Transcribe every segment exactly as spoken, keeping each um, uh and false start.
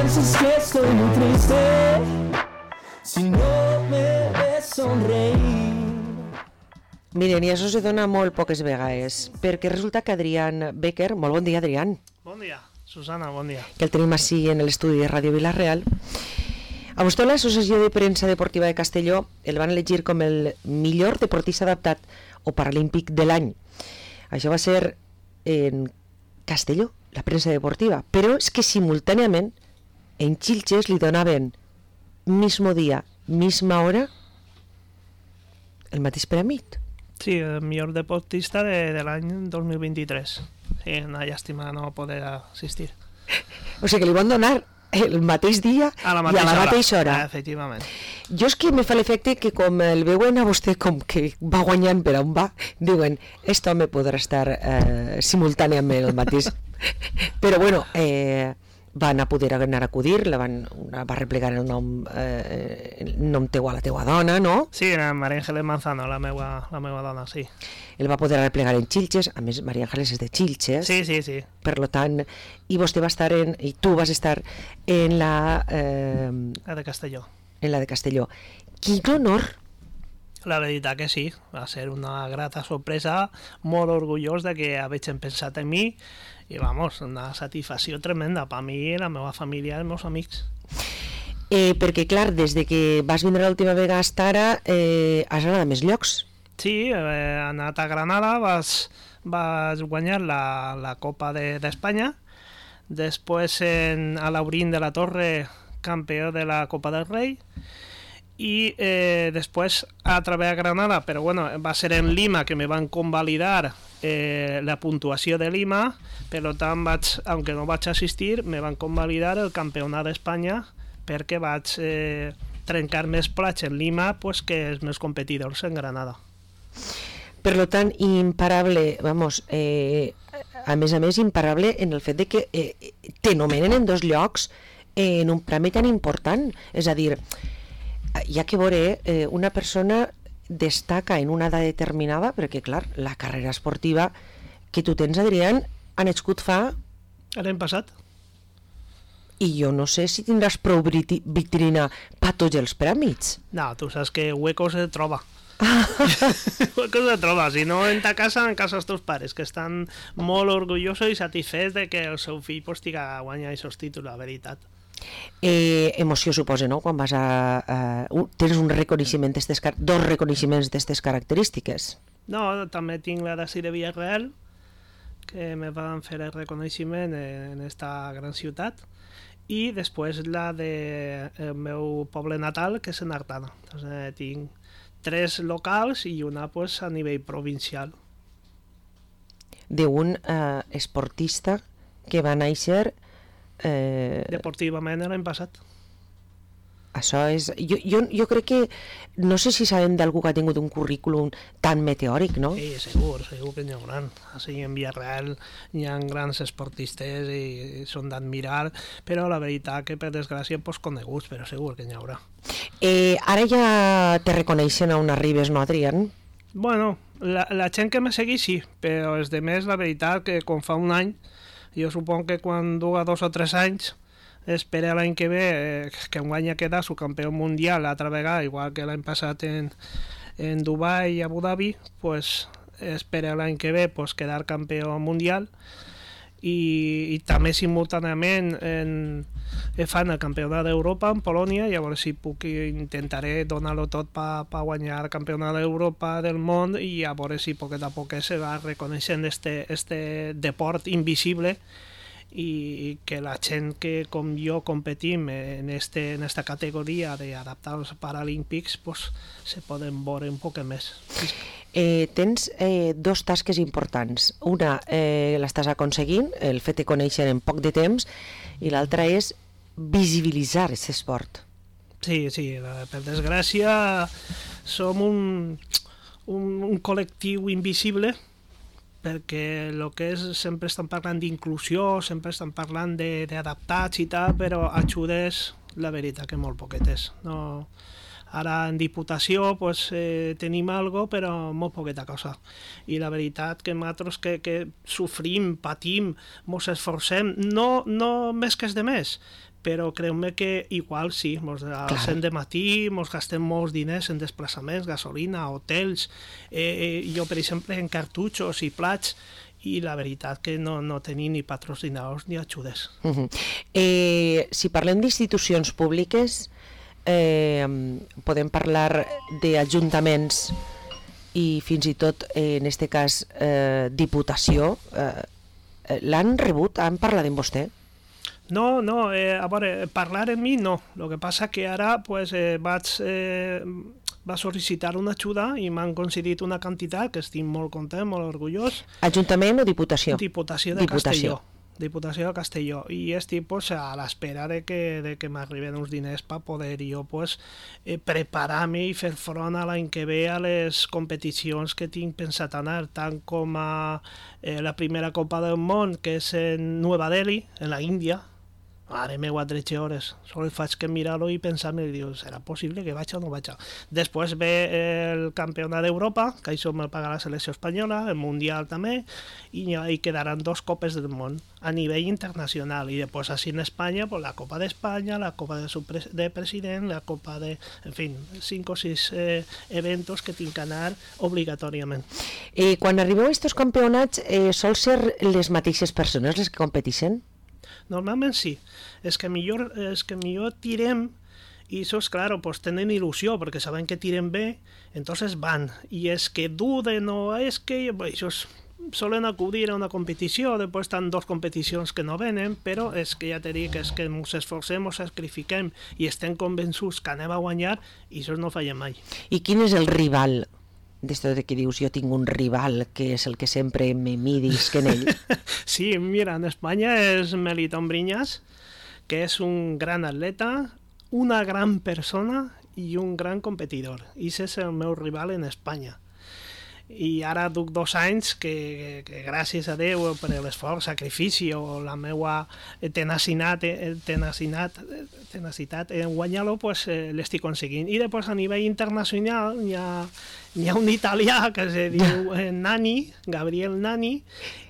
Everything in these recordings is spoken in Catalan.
piensas que estoy muy triste si no me ves sonreír. Miren, i això se dona molt poques vegades, perquè resulta que Adrián Becker, molt bon dia, Adrián. Bon dia, Susana, bon dia. Que el tenim així en l'estudi de Ràdio Vila-real. A vostè l'Associació de Premsa Deportiva de Castelló el van elegir com el millor deportista adaptat o paralímpic de l'any. Això va ser en Castelló, la premsa deportiva, però és que simultàniament en Xilxes li donaven mismo dia, misma hora, el mateix premi. Sí, el millor deportista de, de l'any dos mil vint-i-tres. Sí, una llàstima no poder assistir. O sigui que li van donar el mateix dia a la i a la mateixa hora. Ah, efectivament. Jo és que me fa l'efecte que com el veuen a vostè com que va guanyant per on va, diuen, este home podrà estar eh, simultàniament el mateix. Però bueno, eh, van a poder anar a acudir, la van, va replegar el nom, eh, el nom teu a la teua dona, no? Sí, la María Ángeles Manzano, la meua, la meua dona, sí. El va poder replegar en Xilxes, a més María Ángeles és de Xilxes. Sí, sí, sí. Per lo tant, i vostè va estar en, i tu vas estar en la... Eh, la de Castelló. En la de Castelló. Quin honor! La veritat que sí, va ser una grata sorpresa, molt orgullós de que havien pensat en mi, i vamos, una satisfacció tremenda per mi, la meva família i els meus amics. Eh, perquè clar, des de que vas vindre l'última vegada hasta ara, eh, has anat a més llocs. Sí, he anat a Granada, vas, vas guanyar la, la Copa d'Espanya, de, després en, a l'Aurín de la Torre, campió de la Copa del Rei, i eh, després a través de Granada, però bueno, va ser en Lima que me van convalidar eh, la puntuació de Lima, per tant vaig, aunque no vaig assistir, me van convalidar el campionat d'Espanya perquè vaig eh, trencar més plats en Lima pues, que els meus competidors en Granada. Per lo tant, imparable, vamos, eh, a més a més imparable en el fet de que eh, te nomenen en dos llocs eh, en un premi tan important, és a dir, hi ha que veure, eh, una persona destaca en una edat determinada, perquè clar, la carrera esportiva que tu tens, Adrián, ha nascut fa... L'any passat. I jo no sé si tindràs prou vitrina per tots els prèmits. No, tu saps que hueco se troba. Hueco se troba, si no en ta casa, en casa dels teus pares, que estan molt orgullosos i satisfets de que el seu fill pues, tiga a guanyar aquests títols, la veritat. Eh, emoció suposa, no? Quan vas a... a uh, tens un reconeixement d'estes, dos reconeixements d'aquestes característiques. No, també tinc la d'ací de Villarreal, que me van fer el reconeixement en esta gran ciutat, i després la del de meu poble natal, que és en Artana. Entonces, tinc tres locals i una pues, a nivell provincial. D'un eh, esportista que va néixer Eh... deportivament l'any passat. Això és... Jo, jo, jo crec que... No sé si sabem d'algú que ha tingut un currículum tan meteòric, no? Sí, segur, segur que n'hi haurà. Així en Villarreal hi ha grans esportistes i són d'admirar, però la veritat que per desgràcia pues, coneguts, però segur que n'hi haurà. Eh, ara ja te reconeixen a on arribes, no, Adrián? Bueno, la, la gent que me segueix sí, però els demés la veritat que com fa un any jo suponc que quan duga dos o tres anys espera l'any que ve eh, que enguany ha quedat su campió mundial l'altra vegada, igual que l'any passat en, en Dubai i Abu Dhabi, pues espera l'any que ve pues, quedar campió mundial i, i també simultàniament en, fan el campionat d'Europa en Polònia, i a veure si puc intentaré donar-lo tot per pa guanyar el campionat d'Europa del món i a veure si poquet a poquet se va reconeixent este, este deport invisible i que la gent que com jo competim en, este, en esta categoria d'adaptar als Paralímpics pues, se poden veure un poc més. Eh, tens eh, dos tasques importants. Una eh, l'estàs aconseguint, el fet de conèixer en poc de temps, i l'altra és visibilitzar aquest esport. Sí, sí, per desgràcia som un, un, un col·lectiu invisible, perquè el que és, sempre estan parlant d'inclusió, sempre estan parlant d'adaptats i tal, però ajudes, la veritat que molt poquetes. No, Ara en Diputació pues, eh, tenim algo, però molt poqueta cosa. I la veritat que nosaltres que, que sofrim, patim, mos esforcem, no, no més que és de més, però creu-me que igual sí, mos alcem de matí, mos gastem molts diners en desplaçaments, gasolina, hotels, eh, eh, jo per exemple en cartutxos i plats, i la veritat que no, no tenim ni patrocinadors ni ajudes. Uh -huh. eh, si parlem d'institucions públiques, eh, podem parlar d'ajuntaments i fins i tot, eh, en aquest cas, eh, Diputació. Eh, l'han rebut? Han parlat amb vostè? No, no, eh, a veure, parlar amb mi no. El que passa que ara pues, eh, vaig, eh, va sol·licitar una ajuda i m'han concedit una quantitat que estic molt content, molt orgullós. Ajuntament o Diputació? Diputació de Diputació. Castelló. Diputació de Castelló. I estic pues, a l'espera de que, de que m'arriben uns diners per poder jo pues, eh, preparar-me i fer front a l'any que ve a les competicions que tinc pensat anar, tant com a eh, la primera Copa del Món, que és en Nova Delhi, en la Índia. Mare meva, tretze hores. Sols faig que mirar-ho i pensar-me, i diu, serà possible que vaig o no vaig? Després ve el Campionat d'Europa, que això me'l paga la selecció espanyola, el Mundial també, i hi quedaran dos Copes del Món a nivell internacional. I després, així en Espanya, pues, la Copa d'Espanya, la Copa de, Supre de President, la Copa de... En fi, cinc o sis eh, eventos que tinc que anar obligatòriament. Eh, quan arribeu a aquests campionats, eh, sol ser les mateixes persones les que competeixen? Normalment sí, és que millor, és que millor tirem i això és clar, pues tenen il·lusió perquè saben que tirem bé, entonces van, i és que duden o és que això és, solen acudir a una competició, després estan dos competicions que no venen, però és que ja te dic, és que ens esforcem, ens sacrifiquem i estem convençuts que anem a guanyar i això no fallem mai. I quin és el rival? D'esto de que dius, jo tinc un rival que és el que sempre me midis que en ell. Sí, mira, en Espanya és Melitón Briñas, que és un gran atleta, una gran persona i un gran competidor. I ese és el meu rival en Espanya. I ara duc dos anys que, que, que gràcies a Déu per l'esforç, sacrifici o la meva tenacitat, tenacitat, tenacitat en guanyar-lo, pues, eh, l'estic aconseguint. I després a nivell internacional hi ha, hi ha un italià que es diu eh, Nani, Gabriel Nani,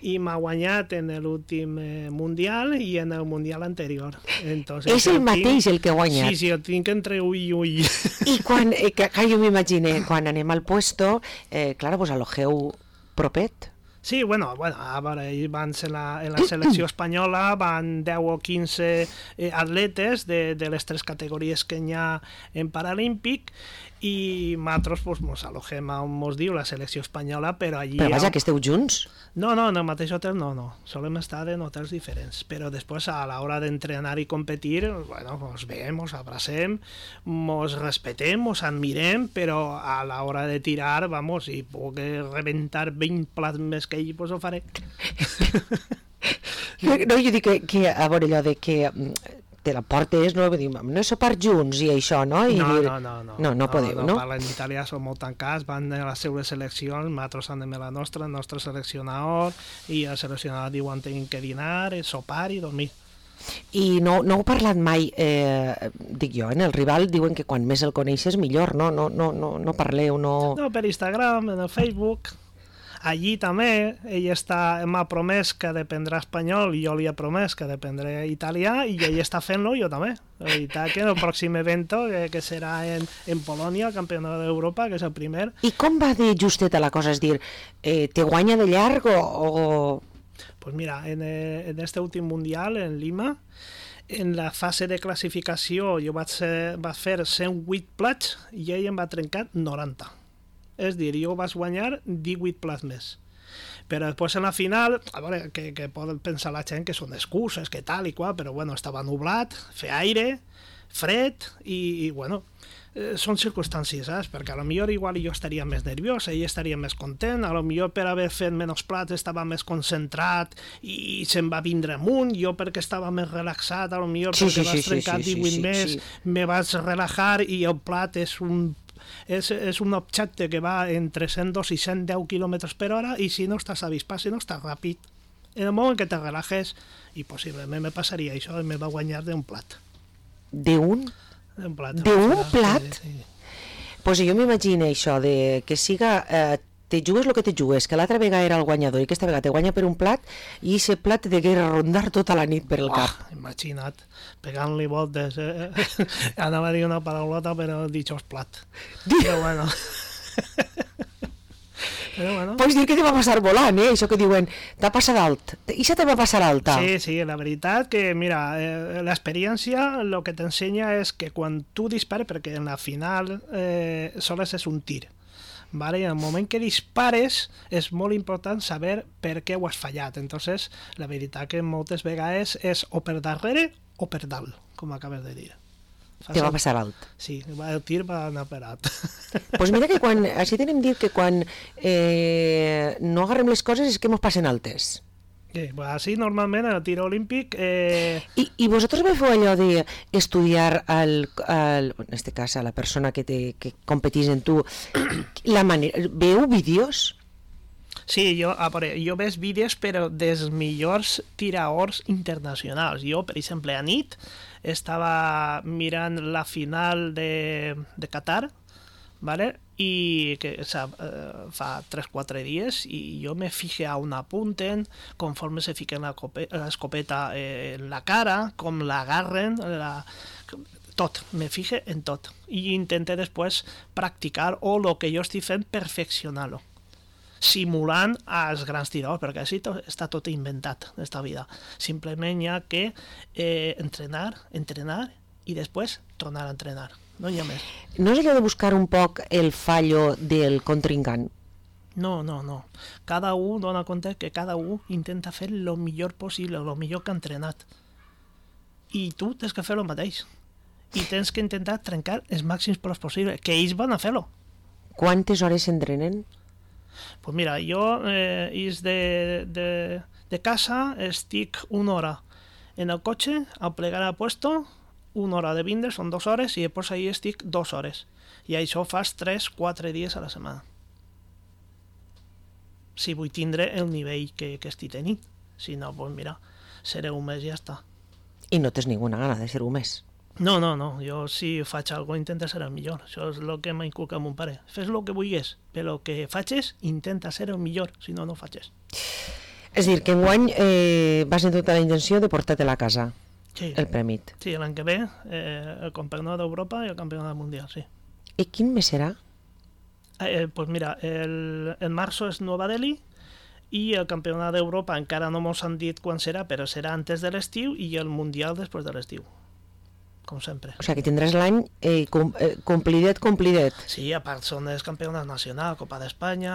i m'ha guanyat en l'últim eh, Mundial i en el Mundial anterior. Entonces, és el mateix el que ha guanyat? Sí, sí, el tinc entre ull i ull. I quan, eh, que, que jo m'imagine, quan anem al puesto, eh, clar, pues alogeu propet? Sí, bueno, bueno, a veure, ells van ser la, en la selecció espanyola, van deu o quinze eh, atletes de, de les tres categories que hi ha en Paralímpic, i nosaltres pues, mos alogem on mos diu la selecció espanyola, però allí... Però vaja, ha... que esteu junts? No, no, en el mateix hotel no, no. Solem estar en hotels diferents, però després a l'hora d'entrenar i competir, bueno, mos veiem, mos abracem, mos respetem, mos admirem, però a l'hora de tirar, vamos, si puc rebentar vint plats més que ell, pues ho faré. No, jo dic que, que a veure allò de que te la portes, no? Dir, no és sopar junts i això, no? I no, dir... no, no, no. No, no podeu, no? no? Parlen italià, són molt tancats, van a les seues seleccions, nosaltres anem a la nostra, el nostre seleccionador, i el seleccionador diu on tenim que dinar, sopar i dormir. I no, no heu parlat mai, eh, dic jo, en el rival diuen que quan més el coneixes millor, no? No, no, no, no parleu, no... No, per Instagram, en el Facebook... Allí també, ell està, m'ha promès que aprendrà espanyol i jo li he promès que aprendré italià i ell està fent-lo, jo també. La veritat que el pròxim evento, que, que serà en, en Polònia, el Campionat d'Europa, que és el primer. I com va de justeta la cosa? És dir, eh, te guanya de llarg o...? o... Pues mira, en, en este últim Mundial, en Lima, en la fase de classificació jo vaig, ser, vaig fer cent vuit plats i ell em va trencar noranta. És dir, jo vaig guanyar divuit plats més. Però després en la final, a veure, que, que poden pensar la gent que són excuses, que tal i qual, però bueno, estava nublat, feia aire, fred, i, i bueno, eh, són circumstàncies, saps? Perquè a lo millor igual jo estaria més nerviós, ell estaria més content, a lo millor per haver fet menys plats estava més concentrat i se'n va vindre amunt, jo perquè estava més relaxat, a lo millor sí, perquè sí, vas sí, trencar sí, sí, divuit sí, més, sí. me vaig relajar i el plat és un És, és un objecte que va entre cent dos i cent deu quilòmetres per hora i si no estàs avispat, si no estàs ràpid, en el moment que te relajes, i possiblement me passaria això, me va guanyar d'un plat. D'un? D'un plat. D'un plat? Sí, sí. Pues jo m'imagino això, de que siga... Eh, te jugues el que te jugues, que l'altra vegada era el guanyador i aquesta vegada te guanya per un plat i aquest plat te degué rondar tota la nit per el cap. Oh, imagina't, pegant-li voltes. Eh? Anava a dir una paraulota, però he dit plat. Però bueno... Però bueno. Pots dir que te va passar volant, eh? Això que diuen, t'ha passat alt. I això te va passar alta. Sí, sí, la veritat que, mira, eh, l'experiència el que t'ensenya és que quan tu dispares, perquè en la final eh, sols és un tir, vale? En el moment que dispares és molt important saber per què ho has fallat. Entonces, la veritat que moltes vegades és o per darrere o per dalt, com acabes de dir. Te va passar alt. Sí, el tir va anar per alt. Pues mira que quan, així tenem dit que quan eh, no agarrem les coses és que mos passen altes. Sí, pues así normalment el tir olímpic... Eh... I, I vosaltres veu allò d'estudiar, al, al, en este cas, a la persona que, te, que competís en tu, la manera... Veu vídeos? Sí, jo, a veure, jo veig vídeos però dels millors tiraors internacionals. Jo, per exemple, a nit estava mirant la final de, de Qatar, ¿vale? I que o sea, eh, fa tres o quatre dies i jo me fijé a on apunten, conforme se fiquen l'escopeta eh, en la cara, com l'agarren, la... tot, me fijé en tot. I intenté després practicar o el que jo estic fent, perfeccionar-lo, simulant els grans tiradors, perquè així to, està tot inventat esta vida. Simplement hi ha que eh, entrenar, entrenar i després tornar a entrenar. No hi ha més. No és allò de buscar un poc el fallo del contrincant? No, no, no. Cada un dona compte que cada un intenta fer el millor possible, el millor que ha entrenat. I tu tens que fer el mateix. I tens que intentar trencar els màxims pros possibles, que ells van a fer-lo. Quantes hores s'entrenen? Pues mira, jo eh, és de, de, de casa, estic una hora en el cotxe, a plegar a puesto, una hora de vindre, són dues hores, i després ahí estic dues hores. I això fas tres quatre dies a la setmana. Si vull tindre el nivell que, que estic tenint. Si no, pues mira, seré un mes i ja està. I no tens ninguna gana de ser un mes? No, no, no. Jo si faig alguna cosa intento ser el millor. Això és el que m'ha inculcat mon pare. Fes el que vulguis, però el que facis intenta ser el millor, si no, no facis. És dir, que enguany eh, vas en tota la intenció de portar-te a casa, sí. El prèmit. Sí, l'any que ve, eh, el campionat d'Europa i el campionat mundial, sí. I quin mes serà? Eh, pues mira, el, el marzo és Nova Delhi i el campionat d'Europa encara no mos han dit quan serà, però serà antes de l'estiu, i el mundial després de l'estiu. Com sempre. O sigui que tindràs l'any eh, com, eh, complidet, complidet. Sí, a part són els campionats nacionals, Copa d'Espanya,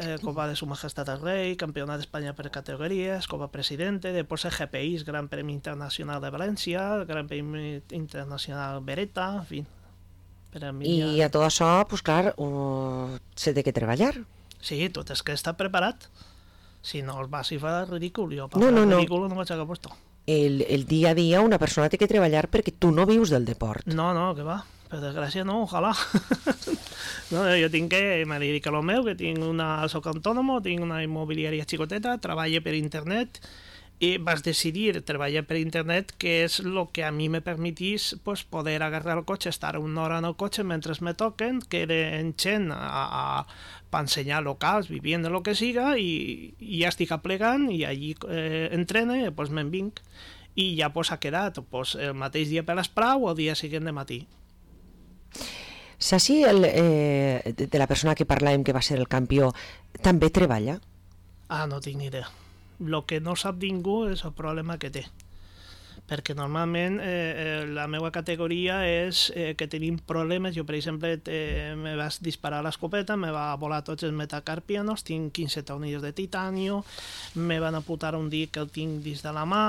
eh, Copa de Su Majestat el Rei, Campionat d'Espanya per categories, Copa Presidente, després el G P I, Gran Premi Internacional de València, Gran Premi Internacional Beretta, en fi. Per a mi I ja... a tot això, pues clar, uh, s'ha de que treballar. Sí, tot és que està preparat. Si no els vas i fa ridícul, jo per no, no, no. ridícul no vaig a puesto. El, el dia a dia una persona té que treballar perquè tu no vius del deport. No, no, que va. Per desgràcia no, ojalà. No, jo tinc que, me dedico a lo meu, que tinc una, soc autònomo, tinc una immobiliària xicoteta, treballo per internet, i vas decidir treballar per internet, que és el que a mi me permetís pues, poder agarrar el cotxe, estar una hora en el cotxe mentre me toquen, que en gent a, a, per ensenyar locals, vivienda, lo que siga, i, i ja estic aplegant, i allí eh, entrene, i pues, me'n vinc, i ja pues, ha quedat pues, el mateix dia per l'esprau o el dia següent de matí. Saps si el, eh, de la persona que parlàvem que va ser el campió també treballa? Ah, no tinc ni idea. El que no sap ningú és el problema que té. Perquè normalment eh, la meva categoria és eh, que tenim problemes. Jo, per exemple, eh, me vas disparar l'escopeta, me va volar tots els metacarpianos, tinc quinze tornillos de titanio, me van apuntar un dit que el tinc dins de la mà,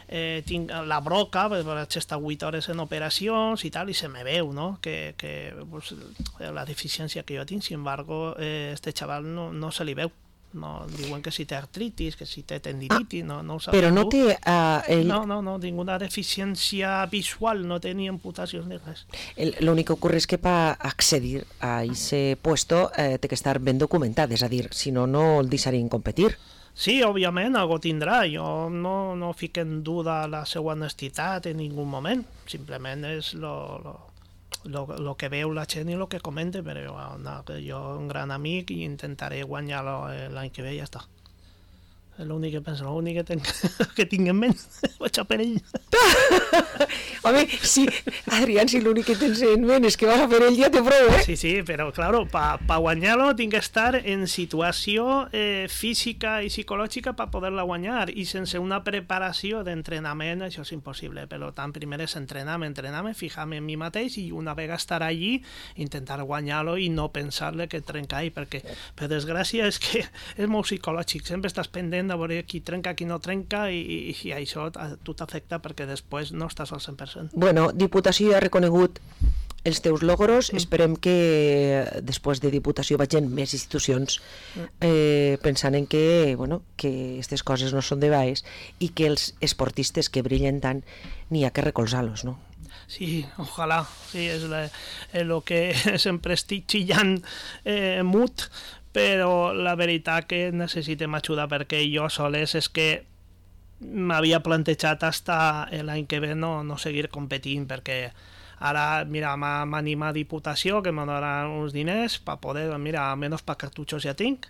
eh, tinc la broca, vaig estar vuit hores en operacions i tal, i se me veu, no?, que, que pues, la deficiència que jo tinc. Sin embargo, eh, este xaval no, no se li veu. No, diuen que si té artritis, que si té tendinitis, ah, no, no ho sap. Però no té... Uh, ell... No, no, no, ninguna deficiència visual, no té ni amputacions ni res. L'únic que ocorre és que per accedir a aquest puesto eh, té que estar ben documentat, és a dir, si no, no el deixarien competir. Sí, òbviament, algo tindrà. Jo no, no fico en duda la seva honestitat en ningú moment. Simplement és lo, lo, el que veu la gent i el que comenta, però no, jo un gran amic i intentaré guanyar-lo l'any que ve i ja està. És l'únic que penso, l'únic que tinc, que tinc en ment, vaig a per ell. Home, sí, Adrián, si l'únic que tens en ment és que vas a per ell, ja té prou, eh? Sí, sí, però, claro, per pa guanyar-lo tinc que estar en situació eh, física i psicològica per poder-la guanyar, i sense una preparació d'entrenament això és impossible. Per tant, primer és entrenar-me, entrenar-me, fijar-me en mi mateix i una vegada estar allí, intentar guanyar-lo i no pensar-le que trencar, perquè, per desgràcia, és que és molt psicològic, sempre estàs pendent de veure qui trenca, qui no trenca, i, i, i això a tu t'afecta perquè després no estàs al cent per cent. Bueno, Diputació ja ha reconegut els teus logros, mm. esperem que després de Diputació vagin més institucions eh, pensant en que, bueno, que aquestes coses no són de baix i que els esportistes que brillen tant n'hi ha que recolzar-los, no? Sí, ojalà, sí, és el que sempre estic xillant eh, mut, però la veritat que necessitem ajuda, perquè jo soles és que m'havia plantejat hasta l'any que ve no, no seguir competint, perquè ara, mira, m'anima a Diputació, que m'donaran uns diners per poder, mira, almenys per cartutxos ja tinc,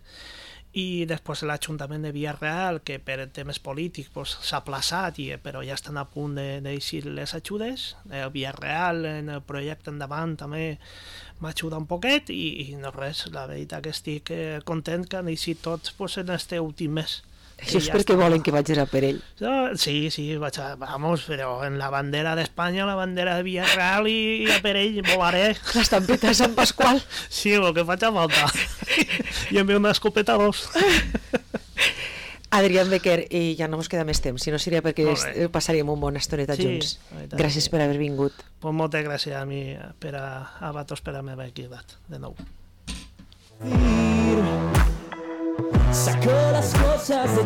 i després l'Ajuntament de Villarreal, que per temes polítics pues, s'ha aplaçat, i, però ja estan a punt d'eixir de, les ajudes. El Villarreal, en el projecte endavant, també m'ajuda un poquet, i, i no res, la veritat que estic eh, content que han eixit tots pues, en este últim mes. Això és ja perquè està... volen que vagis a per ell. Sí, sí, vaig a... Vamos, però en la bandera d'Espanya, la bandera de Villarreal i, i a per ell volaré. L'estampeta de Sant Pasqual. Sí, el que faig a falta. I em ve una escopeta dos. Adrián Becker, i ja no ens queda més temps, si no seria perquè passaríem una bona estoneta sí, junts. Gràcies sí. per haver vingut. Pues moltes gràcies a mi, per a, a vosaltres per haver quedat, de nou. Saco las cosas de